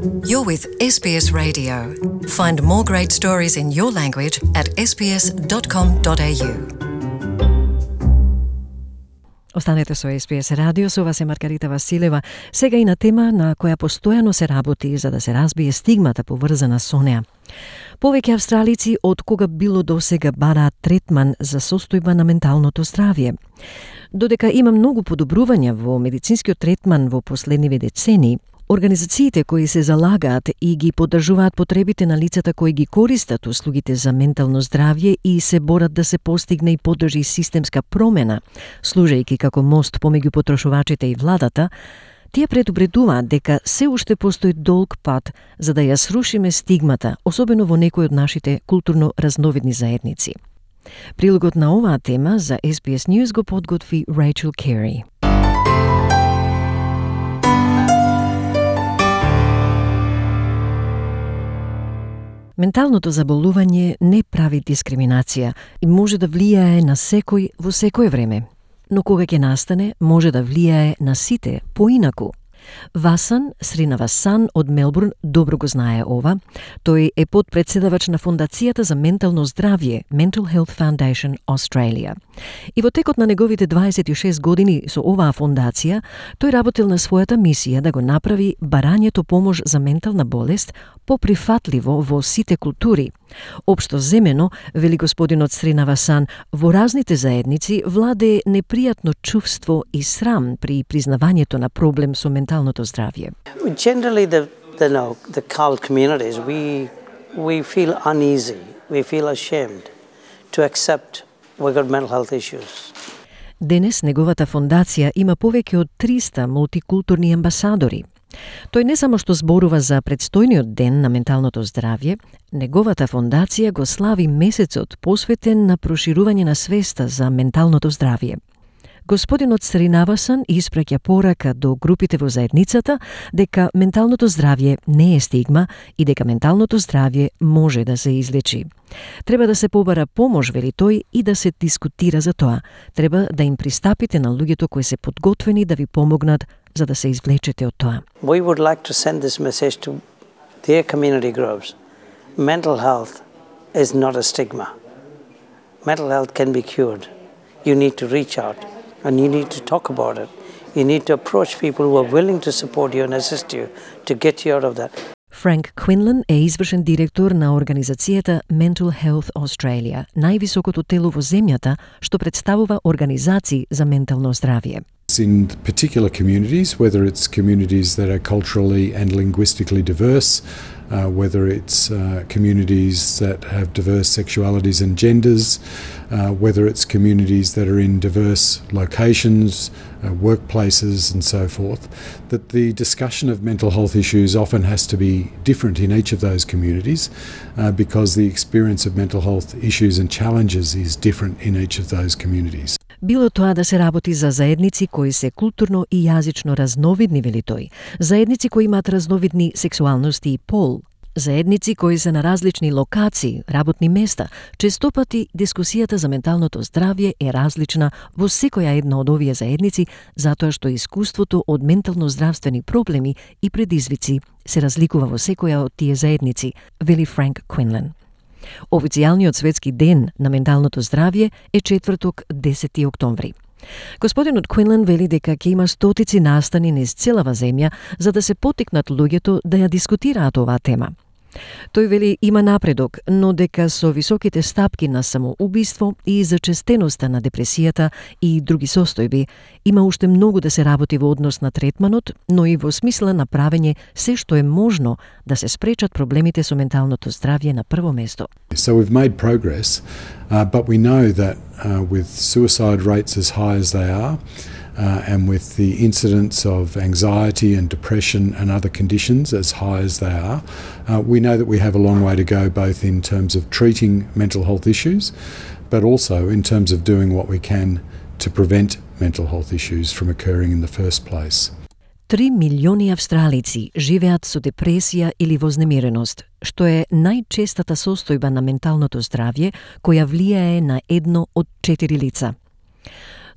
You're with SBS Radio. Find more great stories in your language at sbs.com.au. Останете со SBS радио, со вас е Маргарита Василева. Сега и на тема на која постојано се работи за да се разбие стигмата поврзана со неа. Повеќе австралици од кога било досега бараат третман за состојба на менталното здравје. Додека има многу подобрувања во медицинскиот третман во последниве децении, организациите кои се залагаат и ги поддржуваат потребите на лицата кои ги користат услугите за ментално здравје и се борат да се постигне и поддржи системска промена, служејќи како мост помеѓу потрошувачите и владата, тие предупредуваат дека се уште постои долг пат за да ја срушиме стигмата, особено во некои од нашите културно разновидни заедници. Прилогот на оваа тема за SBS News го подготви Рейчел Кери. Менталното заболување не прави дискриминација и може да влијае на секој во секое време. Но кога ќе настане, може да влијае на сите поинаку. Васан Сринавасан од Мелбурн добро го знае ова. Тој е подпредседавач на Фондацијата за ментално здравје Mental Health Foundation Australia. И во текот на неговите 26 години со оваа фондација, тој работел на својата мисија да го направи барањето помош за ментална болест поприфатливо во сите култури. Општо земено, вели господинот Сринавасан, во разните заедници владее непријатно чувство и срам при признавањето на проблем со менталното здравје. Generally, the CALD communities, we feel uneasy, we feel ashamed to accept we've got mental health issues. Денес неговата фондација има повеќе од 300 мултикултурни амбасадори. Тој не само што зборува за предстојниот ден на менталното здравје, неговата фондација го слави месецот посветен на проширување на свеста за менталното здравје. Господинот Сринавасан испраќа порака до групите во заедницата дека менталното здравје не е стигма и дека менталното здравје може да се излечи. Треба да се побара помош, вели тој, и да се дискутира за тоа. Треба да им пристапите на луѓето кои се подготвени да ви помогнат за да се извлечете од тоа. We would like to send this message to their community groups. Mental health is not a stigma. Mental health can be cured. You need to reach out and you need to talk about it. You need to approach people who are willing to support you and assist you to get you out of that. Франк Квинлан е извршен директор на организацијата Mental Health Australia, највисокото тело во земјата што представува организации за ментално здравје. In particular communities, whether it's communities that are culturally and linguistically diverse, whether it's communities that have diverse sexualities and genders, whether it's communities that are in diverse locations, workplaces and so forth, that the discussion of mental health issues often has to be different in each of those communities because the experience of mental health issues and challenges is different in each of those communities. Било тоа да се работи за заедници кои се културно и јазично разновидни, вели тој, заедници кои имаат разновидни сексуалности и пол, заедници кои се на различни локации, работни места. Честопати дискусијата за менталното здравје е различна во секоја една од овие заедници, затоа што искуството од ментално здравствени проблеми и предизвици се разликува во секоја од тие заедници, вели Франк Квинлан. Официјалниот светски ден на менталното здравје е четврток 10 октомври. Господинот Квинлан вели дека ќе има стотици настани низ целава земја за да се поттикнат луѓето да ја дискутираат оваа тема. Тој вели има напредок, но дека со високите стапки на самоубиство и зачестеноста на депресијата и други состојби, има уште многу да се работи во однос на третманот, но и во смисла на правење се што е можно да се спречат проблемите со менталното здравје на прво место. So we've made progress, but we know that with suicide rates as high as they are, and with the incidence of anxiety and depression and other conditions as high as they are, we know that we have a long way to go both in terms of treating mental health issues, but also in terms of doing what we can to prevent mental health issues from occurring in the first place. 3 милиони австралици живеат со депресија или вознемиреност, што е најчестата состојба на менталното здравје која влијае на 1 од 4 лица.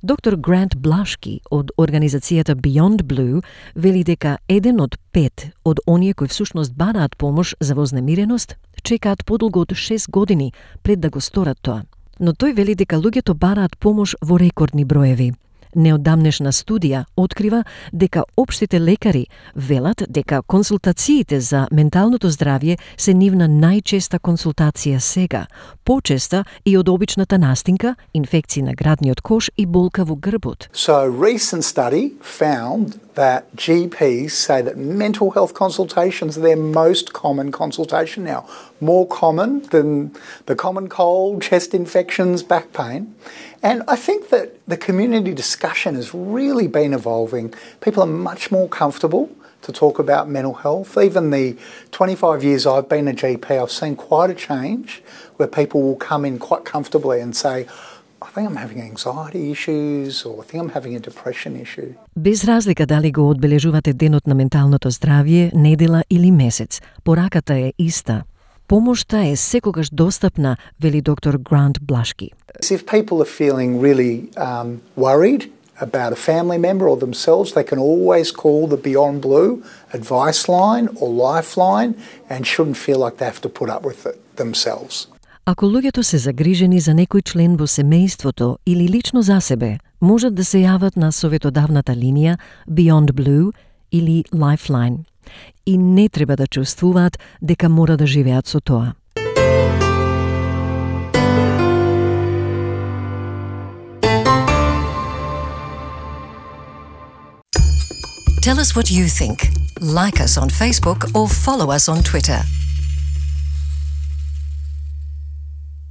Доктор Грант Блашки од организацијата Beyond Blue вели дека 1 од 5 од оние кои всушност бараат помош за вознемиреност чекаат подолго од 6 години пред да го сторат тоа. Но тој вели дека луѓето бараат помош во рекордни броеви. Неодамнешна студија открива дека општите лекари велат дека консултациите за менталното здравје се нивна најчеста консултација сега, почеста и од обичната настинка, инфекции на градниот кош и болка во грбот. So a recent study found that GPs say that mental health consultations are their most common consultation now, more common than the common cold, chest infections, back pain. And I think that the community discussion has really been evolving. People are much more comfortable to talk about mental health. Even the 25 years I've been a GP, I've seen quite a change where people will come in quite comfortably and say, I think I'm having anxiety issues or I think I'm having a depression issue. Без разлика дали го одбележувате денот на менталното здравје, недела или месец, пораката е иста. Помошта е секогаш достапна, вели доктор Грант Блашки. If people are feeling really worried about a family member or themselves, they can always call the Beyond Blue advice line or lifeline and shouldn't feel like they have to put up with it themselves. Ако луѓето се загрижени за некој член во семејството или лично за себе, можат да се јават на советодавната линија Beyond Blue или Lifeline. И не треба да чувствуваат дека мора да живеат со тоа. Tell us what you think. Like us on Facebook or follow us on Twitter.